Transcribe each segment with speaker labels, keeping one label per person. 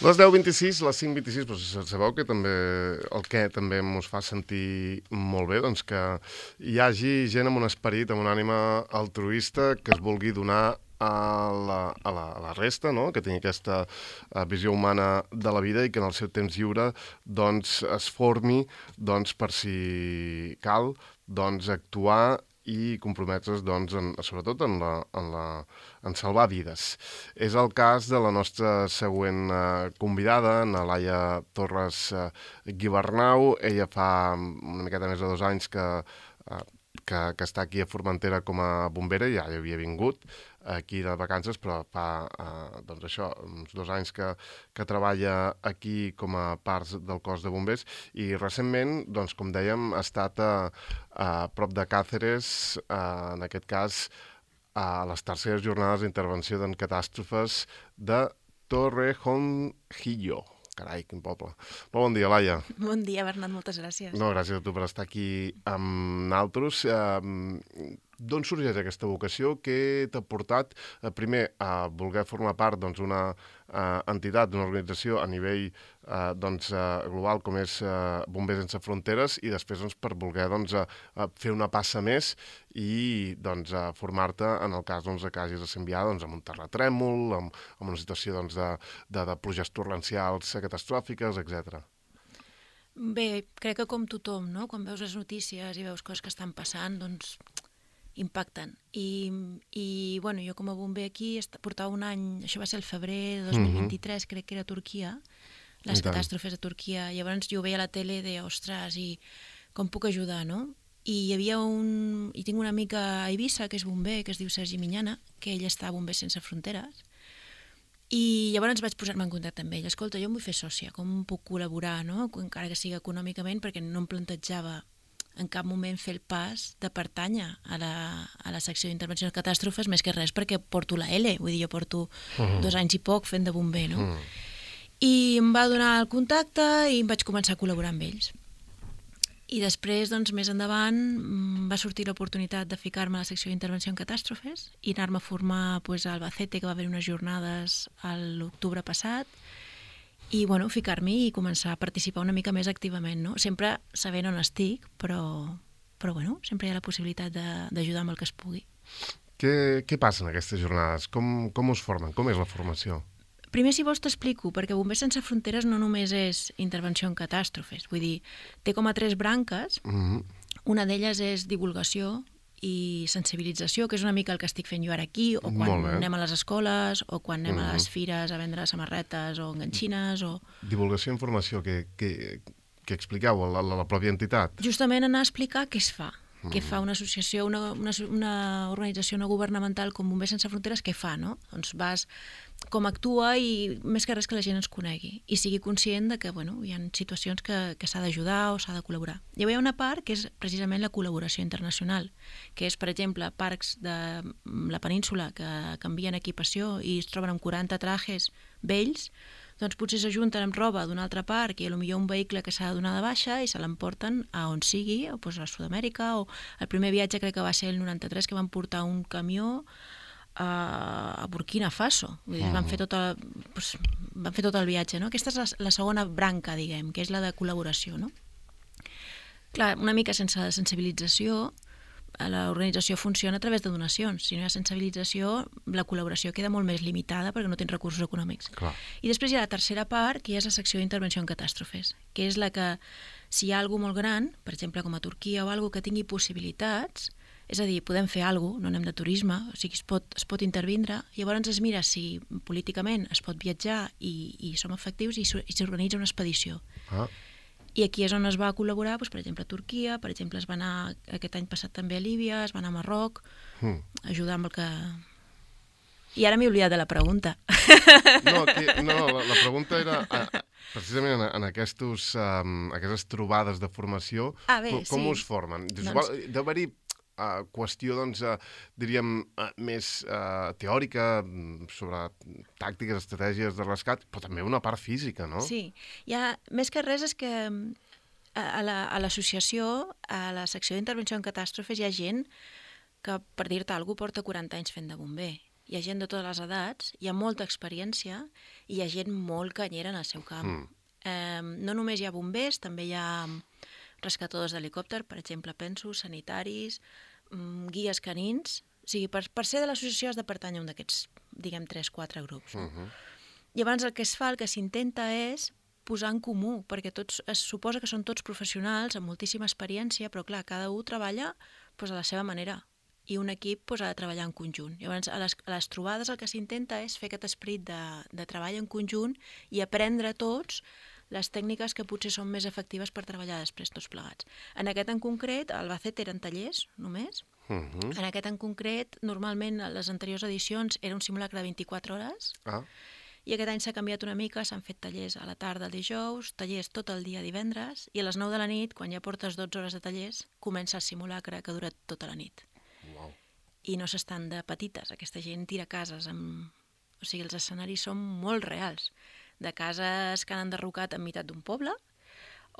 Speaker 1: Les 10:26, les 5:26, però sabeu que també el que també ens fa sentir molt bé, doncs que hi hagi gent amb un esperit, amb una ànima altruista que es vulgui donar a la resta, no? Que tingui aquesta visió humana de la vida i que en el seu temps lliure doncs, es formi doncs, per si cal doncs, actuar i comprometre's doncs, sobretot en salvar vides. És el cas de la nostra següent convidada, na Laia Torres Guibernau. Ella fa una miqueta més de 2 anys que està aquí a Formentera com a bombera, ja hi havia vingut aquí de vacances, però fa doncs això, uns 2 anys que treballa aquí com a part del cos de bombers i recentment, doncs, com dèiem, ha estat a prop de Càceres, en aquest cas a les terceres jornades d'intervenció en catàstrofes de Torrejón. Carai, quin poble. Molt bon dia, Laia.
Speaker 2: Bon dia, Bernat, moltes gràcies.
Speaker 1: No, gràcies a tu per estar aquí amb naltros. D'on sorgeix aquesta vocació? Què t'ha portat, primer, a voler formar part d'una entitat, d'una organització a nivell global com és Bombers Sense Fronteres i després per voler fer una passa més i formar-te en el cas que hagis de ser enviada amb un terratrèmol, amb una situació de pluges torrencials catastròfiques, etc.
Speaker 2: Bé, crec que com tothom, no? Quan veus les notícies i veus coses que estan passant, doncs impacten. I bueno, jo com a bomber aquí portava un any, això va ser el febrer de 2023, crec que era a Turquia, les catàstrofes a Turquia. Llavors jo ho veia a la tele i deia, ostres, i com puc ajudar, no? I hi havia i tinc una amica a Eivissa, que és bomber, que es diu Sergi Minyana, que ell està a Bombers Sense Fronteres, i llavors vaig posar-me en contacte amb ell. Escolta, jo em vull fer sòcia, com puc col·laborar, no? Encara que sigui econòmicament, perquè no em plantejava en cap moment fer el pas de pertànyer a la secció d'intervenció de catàstrofes, més que res perquè porto la L, vull dir, jo porto 2 anys i poc fent de bomber, no? I em va donar el contacte i em vaig començar a col·laborar amb ells. I després, doncs, més endavant, va sortir l'oportunitat de ficar-me a la secció d'intervenció en catàstrofes i anar-me a formar a Albacete, que va haver unes jornades a l'octubre passat, i bueno, ficar-m'hi i començar a participar una mica més activament, no? Sempre sabent on estic, però bueno, sempre hi ha la possibilitat d'ajudar amb el que es pugui.
Speaker 1: Què passa en aquestes jornades? Com us formen? Com és la formació?
Speaker 2: Primer, si vols, t'explico, perquè Bombers Sense Fronteres no només és intervenció en catàstrofes, vull dir, té com a 3 branques, una d'elles és divulgació i sensibilització, que és una mica el que estic fent jo ara aquí, o quan anem a les escoles, o quan anem a les fires a vendre samarretes o enganxines, o...
Speaker 1: Divulgació i informació, que expliqueu a la pròpia entitat?
Speaker 2: Justament anar a explicar què es fa. Què fa una associació, una organització no governamental com Bombers Sense Fronteres, què fa, no? Doncs vas com actua i més que res que la gent ens conegui i sigui conscient de que, bueno, hi ha situacions que s'ha d'ajudar o s'ha de col·laborar. Llavors hi ha una part que és precisament la col·laboració internacional, que és, per exemple, parcs de la península que canvien equipació i es troben amb 40 trajes vells, doncs potser s'ajunten amb roba d'un altre parc i potser un vehicle que s'ha de donar de baixa i se l'emporten a on sigui, o a Sud-amèrica, o el primer viatge crec que va ser el 93, que van portar un camió a Burkina Faso. Vull dir, van fer tot el viatge, no? Aquesta és la segona branca, diguem, que és la de col·laboració, no? Clar, una mica sense sensibilització, l'organització funciona a través de donacions. Si no hi ha sensibilització, la col·laboració queda molt més limitada perquè no tens recursos econòmics.
Speaker 1: Clar.
Speaker 2: I després hi ha la tercera part, que és la secció d'intervenció en catàstrofes, que és la que, si hi ha alguna molt gran, per exemple com a Turquia o alguna que tingui possibilitats, és a dir, podem fer alguna cosa, no anem de turisme, o sigui, es pot intervindre, llavors es mira si políticament es pot viatjar i som efectius i s'organitza una expedició. I aquí és on es va col·laborar, doncs, per exemple, a Turquia, per exemple, es va anar aquest any passat també a Líbia, es va anar a Marroc, ajudar amb el que... I ara m'he oblidat de la pregunta.
Speaker 1: No, la pregunta era, precisament en aquestes trobades de formació, com us formen? Deu haver-hi qüestió, diríem, més teòrica, sobre tàctiques, estratègies de rescat, però també una part física, no?
Speaker 2: Sí, més que res és que a l'associació, a la secció d'intervenció en catàstrofes, hi ha gent que, per dir-te alguna cosa, porta 40 anys fent de bomber. hi ha gent de totes les edats, hi ha molta experiència i hi ha gent molt canyera en el seu camp. No només hi ha bombers, també hi ha rescatadors d'helicòpter, per exemple, penso, sanitaris, guies canins. O sigui, per ser de l'associació has de pertànyer a un d'aquests, diguem, 3-4 grups. No? Llavors el que es fa, el que s'intenta és posar en comú, perquè es suposa que són tots professionals amb moltíssima experiència, però clar, cada un treballa a la seva manera i un equip ha de treballar en conjunt. Llavors, a les trobades el que s'intenta és fer aquest esperit de treball en conjunt i aprendre tots les tècniques que potser són més efectives per treballar després tots plegats. En aquest en concret, al Albacete eren tallers només. En aquest en concret, normalment a les anteriors edicions era un simulacre de 24 hores i aquest any s'ha canviat una mica, s'han fet tallers a la tarda el dijous, tallers tot el dia divendres i a les 9 de la nit, quan ja portes 12 hores de tallers, comença el simulacre que dura tota la nit.
Speaker 1: Wow.
Speaker 2: I no s'estan de petites, aquesta gent tira cases O sigui, els escenaris són molt reals, de cases que han enderrocat en meitat d'un poble,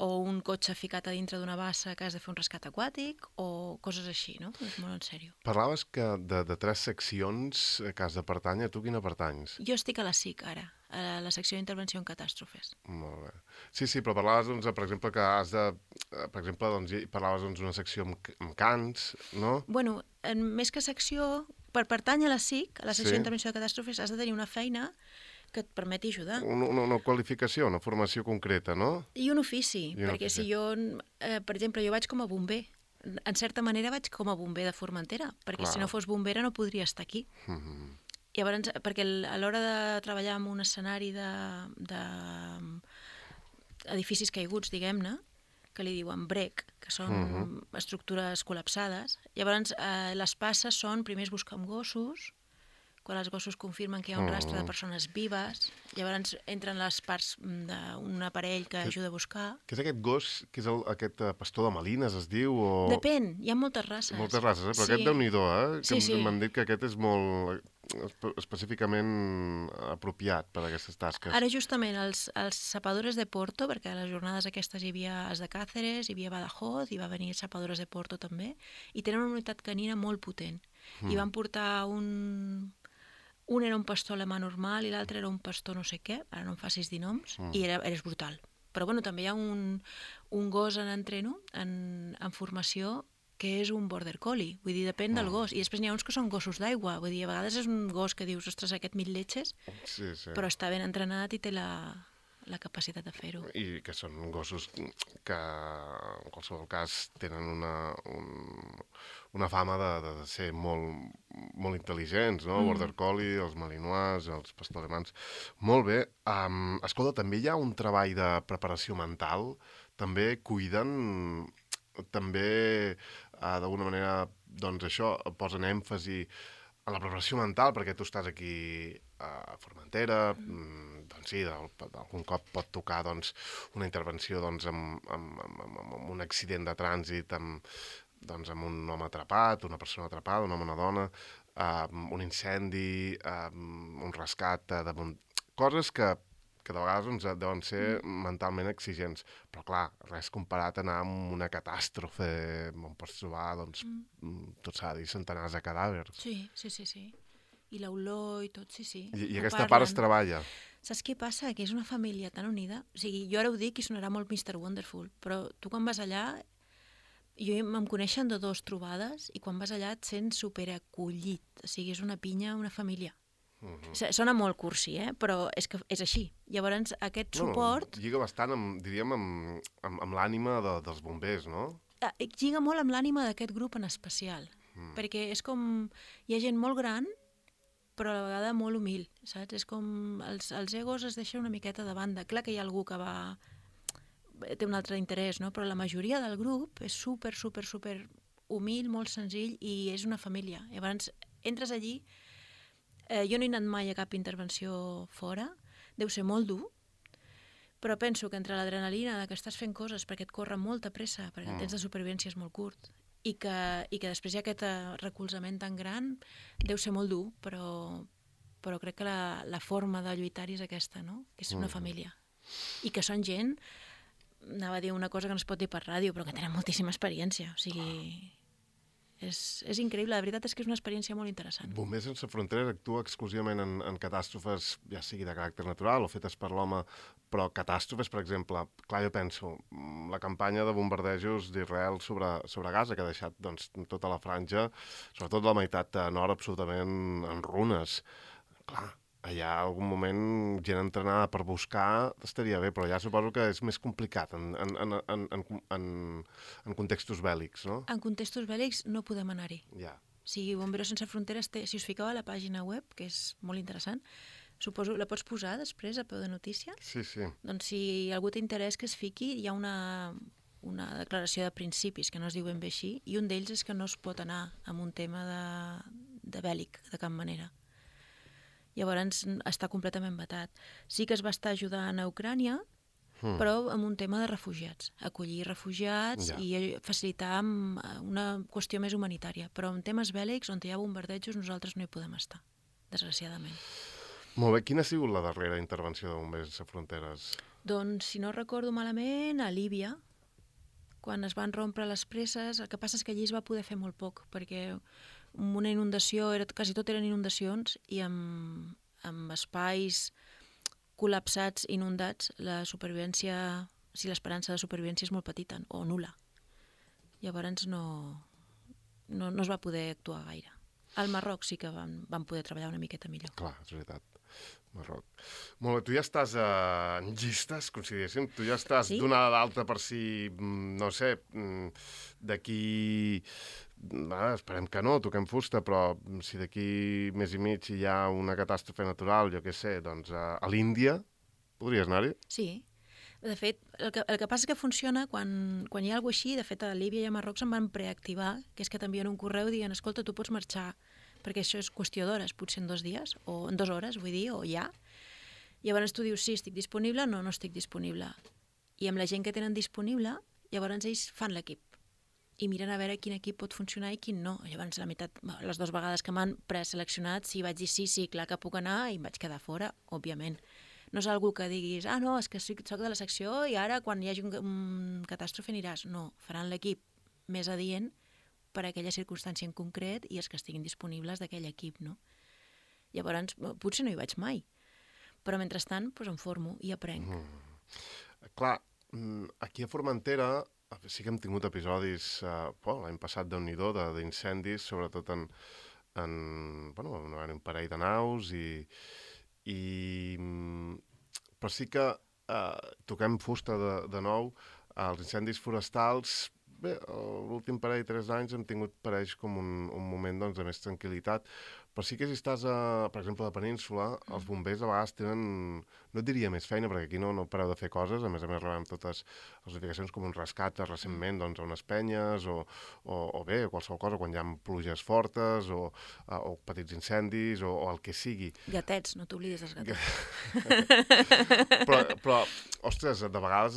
Speaker 2: o un cotxe ficat a dintre d'una bassa que has de fer un rescat aquàtic, o coses així, no? És molt en sèrio.
Speaker 1: Parlaves que de 3 seccions que has de pertànyer, tu quina pertanys?
Speaker 2: Jo estic a la SIC ara, a la secció d'intervenció en catàstrofes.
Speaker 1: Molt bé. Sí, però parlaves, doncs, per exemple, que has de... Per exemple, doncs, parlaves d'una secció amb cants, no?
Speaker 2: Bueno, més que secció, per pertànyer a la SIC, a la secció d'intervenció de catàstrofes, has de tenir una feina que et permeti ajudar.
Speaker 1: Una qualificació, una formació concreta, no?
Speaker 2: I un ofici, perquè si jo, per exemple, jo vaig com a bomber. En certa manera vaig com a bomber de Formentera, perquè si no fos bombera no podria estar aquí. Llavors, perquè a l'hora de treballar en un escenari d'edificis caiguts, diguem-ne, que li diuen BREC, que són estructures col·lapsades, llavors les passes són, primer es buscar amb gossos, quan els gossos confirmen que hi ha un rastre de persones vives, llavors entren les parts d'un aparell que ajuda a buscar.
Speaker 1: Què és aquest gos, que és aquest pastor de Malines, es diu? O...
Speaker 2: Depèn, hi ha moltes races.
Speaker 1: Moltes races, però aquest Déu-n'hi-do, M'han dit que aquest és molt específicament apropiat per a aquestes tasques.
Speaker 2: Ara justament els sapadores de Porto, perquè a les jornades aquestes hi havia els de Càceres, hi havia Badajoz, hi va venir sapadores de Porto també, i tenen una unitat canina molt potent. I van portar un era un pastor alemà normal i l'altre era un pastor no sé què, ara no em facis dir noms, i és brutal. Però bueno, també hi ha un gos en entreno, en formació, que és un border collie, vull dir, depèn del gos. I després n'hi ha uns que són gossos d'aigua, vull dir, a vegades és un gos que dius, ostres, aquest mil letxes, però està ben entrenat i té la capacitat de fer-ho.
Speaker 1: I que són gossos que, en qualsevol cas, tenen una fama de ser molt intel·ligents, no? Border Collie, els Malinois, els Pastor Alemans. Molt bé. Escolta, també hi ha un treball de preparació mental, també cuiden, també d'alguna manera, doncs això, posen èmfasi en la preparació mental, perquè tu estàs aquí a Formentera, doncs sí, algun cop pot tocar doncs, una intervenció doncs, amb un accident de trànsit, amb un home atrapat, una persona atrapada, un home o una dona, un incendi, un rescat, coses que de vegades doncs, deuen ser mentalment exigents. Però clar, res comparat a anar amb una catàstrofe on pots trobar, doncs, tot s'ha de dir, centenars de cadàvers.
Speaker 2: Sí. I l'olor i tot, sí.
Speaker 1: I aquesta part es treballa.
Speaker 2: Saps què passa? Que és una família tan unida. O sigui, jo ara ho dic i sonarà molt Mr. Wonderful, però tu quan vas allà, em coneixen de 2 trobades i quan vas allà et sents superacollit. O sigui, és una pinya, una família. Sona molt cursi, però és que és així. Llavors, aquest suport...
Speaker 1: Lliga bastant, diríem, amb l'ànima dels bombers, no?
Speaker 2: Lliga molt amb l'ànima d'aquest grup en especial, perquè és com... Hi ha gent molt gran, però a la vegada molt humil, saps? És com... Els egos es deixen una miqueta de banda. Clar que hi ha algú que té un altre interès, no? Però la majoria del grup és super humil, molt senzill, i és una família. Llavors, entres allí... Jo no he anat mai a cap intervenció fora, deu ser molt dur, però penso que entre l'adrenalina que estàs fent coses perquè et corre molta pressa, perquè el temps de supervivència és molt curt, i que després hi ha aquest recolzament tan gran, deu ser molt dur, però crec que la forma de lluitar-hi és aquesta, no? Que és una família. I que són gent, anava a dir una cosa que no es pot dir per ràdio, però que tenen moltíssima experiència, o sigui... És increïble, la veritat és que és una experiència molt interessant.
Speaker 1: Bombers Sense Fronteres actua exclusivament en catàstrofes, ja sigui de caràcter natural o fetes per l'home, però catàstrofes, per exemple, clar, jo penso, la campanya de bombardejos d'Israel sobre Gaza, que ha deixat doncs, tota la franja, sobretot la meitat nord, absolutament en runes. Clar, allà algun moment gent entrenada per buscar estaria bé, però ja suposo que és més complicat en contextos bèl·lics, no?
Speaker 2: En contextos bèl·lics no podem anar-hi.
Speaker 1: Ja.
Speaker 2: O sigui, Bomberos Sense Fronteres si us fiqueu a la pàgina web, que és molt interessant, suposo, la pots posar després a peu de notícia?
Speaker 1: Sí.
Speaker 2: Doncs si algú té interès que es fiqui, hi ha una declaració de principis, que no es diu ben bé així, i un d'ells és que no es pot anar amb un tema de bèl·lic, de cap manera. Llavors està completament vetat. Sí que es va estar ajudant a Ucrània, però amb un tema de refugiats, acollir refugiats i facilitar una qüestió més humanitària. Però en temes bèl·lics, on hi ha bombardejos, nosaltres no hi podem estar, desgraciadament.
Speaker 1: Molt bé, quina ha sigut la darrera intervenció de Bombers Sense Fronteres?
Speaker 2: Doncs, si no recordo malament, a Líbia, quan es van rompre les presses, el que passa és que allí es va poder fer molt poc, perquè una inundació, quasi tot eren inundacions, i amb espais col·lapsats, inundats, la supervivència, l'esperança de supervivència és molt petita, o nul·la. Llavors no es va poder actuar gaire. Al Marroc sí que van poder treballar una miqueta millor.
Speaker 1: Clar, és veritat. Marroc. Molt bé, tu ja estàs en llistes, consideressin? Tu ja estàs donada d'alta per si, no sé, d'aquí... esperem que no, toquem fusta, però si d'aquí més i mig hi ha una catàstrofe natural, jo què sé, doncs a l'Índia, podries anar-hi?
Speaker 2: Sí. De fet, el que passa és que funciona quan hi ha alguna cosa així. De fet, a Líbia i a Marroc se'n van preactivar, que és que t'envien un correu dient, escolta, tu pots marxar, perquè això és qüestió d'hores, potser en 2 dies, o en 2 hores, vull dir, o ja. Llavors tu dius, sí, estic disponible, no estic disponible. I amb la gent que tenen disponible, llavors ells fan l'equip i miren a veure quin equip pot funcionar i quin no. Llavors, les 2 vegades que m'han preseleccionat, si vaig dir sí, clar que puc anar, i em vaig quedar fora, òbviament. No és algú que diguis, no, és que soc de la secció i ara quan hi hagi un catàstrofe aniràs. No, faran l'equip més adient per a aquella circumstància en concret i els que estiguin disponibles d'aquell equip, no? Llavors, potser no hi vaig mai, però mentrestant em formo i aprenc.
Speaker 1: Clar, aquí a Formentera sí que hem tingut episodis, l'any passat Déu-n'hi-do, d'incendis, sobretot un parell de naus però sí que toquem fusta de nou. Els incendis forestals, bé, l'últim parell, 3 anys, hem tingut per ells com un moment de més tranquil·litat, però sí que si estàs, per exemple, a la península, els bombers a vegades tenen, no et diria més feina, perquè aquí no pareu de fer coses, a més rebem totes les notificacions com un rescat recentment a unes penyes, o bé, qualsevol cosa, quan hi ha pluges fortes, o petits incendis, o el que sigui.
Speaker 2: Gatets, no t'oblidis dels
Speaker 1: gatets. Però, ostres, de vegades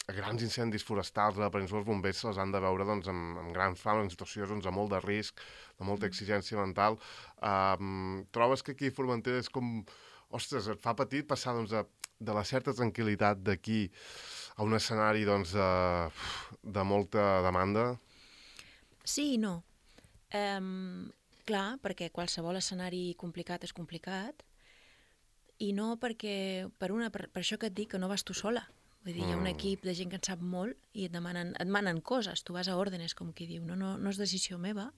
Speaker 1: grans incendis forestals a la península, els bombers se les han de veure amb grans fams, en situacions de molt de risc, de molta exigència mental. Trobes que aquí a Formentera és com... Ostres, et fa petit passar de la certa tranquil·litat d'aquí a un escenari de molta demanda?
Speaker 2: Sí i no. Clar, perquè qualsevol escenari complicat és complicat, i no perquè, per això que et dic que no vas tu sola. Vull dir, hi ha un equip de gent que en sap molt i et demanen coses, tu vas a òrdenes, com qui diu, no és decisió meva.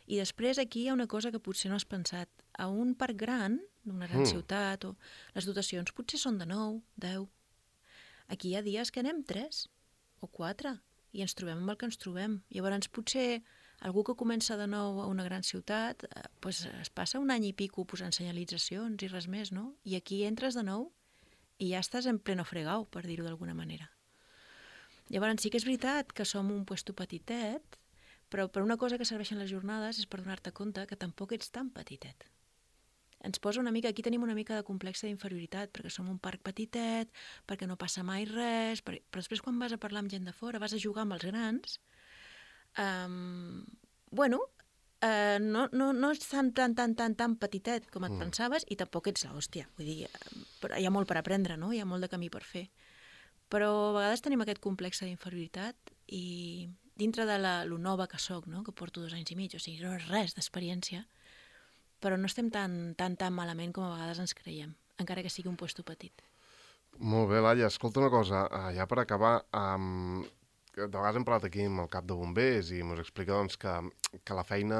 Speaker 2: I després aquí hi ha una cosa que potser no has pensat. A un parc gran, d'una gran ciutat, les dotacions potser són de 9, 10. Aquí hi ha dies que anem 3 o 4 i ens trobem amb el que ens trobem. Llavors potser algú que comença de nou a una gran ciutat es passa un any i pico posant senyalitzacions i res més, no? I aquí entres de nou i ja estàs en pleno fregau, per dir-ho d'alguna manera. Llavors sí que és veritat que som un puesto petitet, però per una cosa que serveixen les jornades és per donar-te compte que tampoc ets tan petitet. Ens posa una mica, aquí tenim una mica de complex d'inferioritat, perquè som un parc petitet, perquè no passa mai res, però després quan vas a parlar amb gent de fora, vas a jugar amb els grans, no ets tan petitet com et pensaves i tampoc ets l'hòstia. Vull dir, hi ha molt per aprendre, no? Hi ha molt de camí per fer. Però a vegades tenim aquest complex d'inferioritat i dintre de lo nova que soc, no? Que porto 2 anys i mig, o sigui, no és res d'experiència, però no estem tan malament com a vegades ens creiem, encara que sigui un puesto petit.
Speaker 1: Molt bé, Laia, escolta una cosa, ja per acabar, de vegades hem parlat aquí amb el cap de bombers i ens explica doncs, que la feina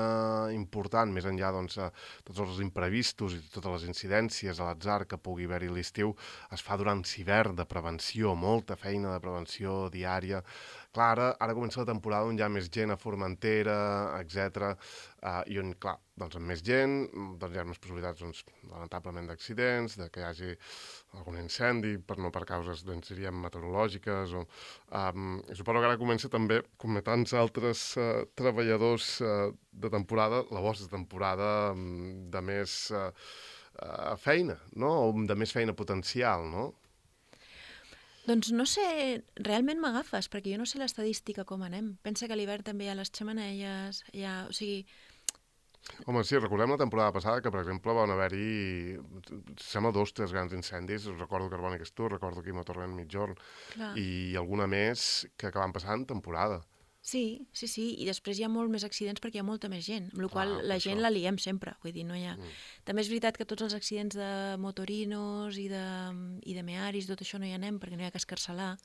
Speaker 1: important, més enllà doncs, tots els imprevistos i totes les incidències a l'atzar que pugui haver-hi a l'estiu, es fa durant l'hivern de prevenció, molta feina de prevenció diària. Clar, ara comença la temporada on hi ha més gent a Formentera, etc. I on, clar, doncs amb més gent doncs hi ha més possibilitats, doncs, lamentablement, d'accidents, de que hi hagi algun incendi, per causes, doncs, diríem, meteorològiques. Suposo que ara comença també, com a tants altres treballadors de temporada, la vostra temporada de més feina, no? O de més feina potencial, no?
Speaker 2: Doncs no sé, realment m'agafes, perquè jo no sé l'estadística com anem. Pensa que a l'hivern també hi ha les xemeneies, o sigui...
Speaker 1: Home, sí, recordem la temporada passada que, per exemple, van haver-hi, sembla 2 o 3 grans incendis, recordo Carbònic Estur, recordo Quima Torrent Mitjorn, i alguna més que van passar en temporada.
Speaker 2: Sí, i després hi ha molt més accidents perquè hi ha molta més gent, amb la qual la gent la liem sempre, vull dir, no hi ha... També és veritat que tots els accidents de motorinos i de mearis, tot això no hi anem perquè no hi ha que escarcelar.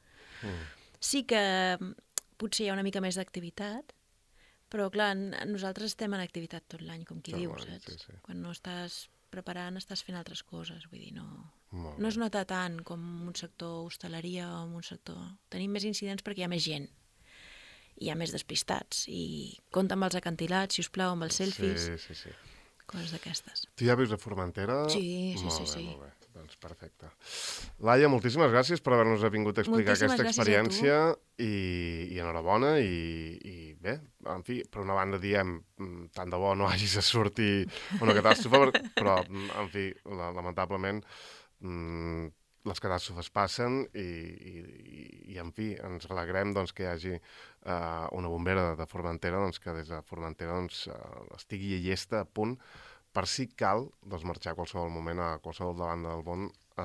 Speaker 2: Sí que potser hi ha una mica més d'activitat, però clar, nosaltres estem en activitat tot l'any, com qui diu, saps? Sí. Quan no estàs preparant, estàs fent altres coses, vull dir, no es nota tant com un sector hostaleria o un sector... Tenim més incidents perquè hi ha més gent. Hi ha més despistats, i compta amb els acantilats, si us plau, amb els selfies,
Speaker 1: sí.
Speaker 2: Coses d'aquestes.
Speaker 1: Tu ja vius a Formentera?
Speaker 2: Sí.
Speaker 1: Molt bé, doncs perfecte. Laia, moltíssimes gràcies per haver-nos vingut a explicar aquesta experiència i enhorabona i bé, en fi, per una banda diem tant de bo no hagis de sortir una catàstrofe, però en fi, lamentablement les catàstrofes passen i en fi, ens alegrem doncs, que hi hagi una bombera de Formentera doncs, que des de Formentera doncs, estigui llesta a punt per si cal doncs, marxar a qualsevol moment a qualsevol banda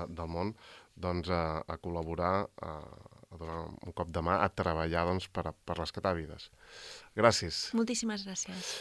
Speaker 1: del món doncs, a col·laborar, a donar un cop de mà, a treballar doncs, per rescatar vides. Gràcies.
Speaker 2: Moltíssimes gràcies.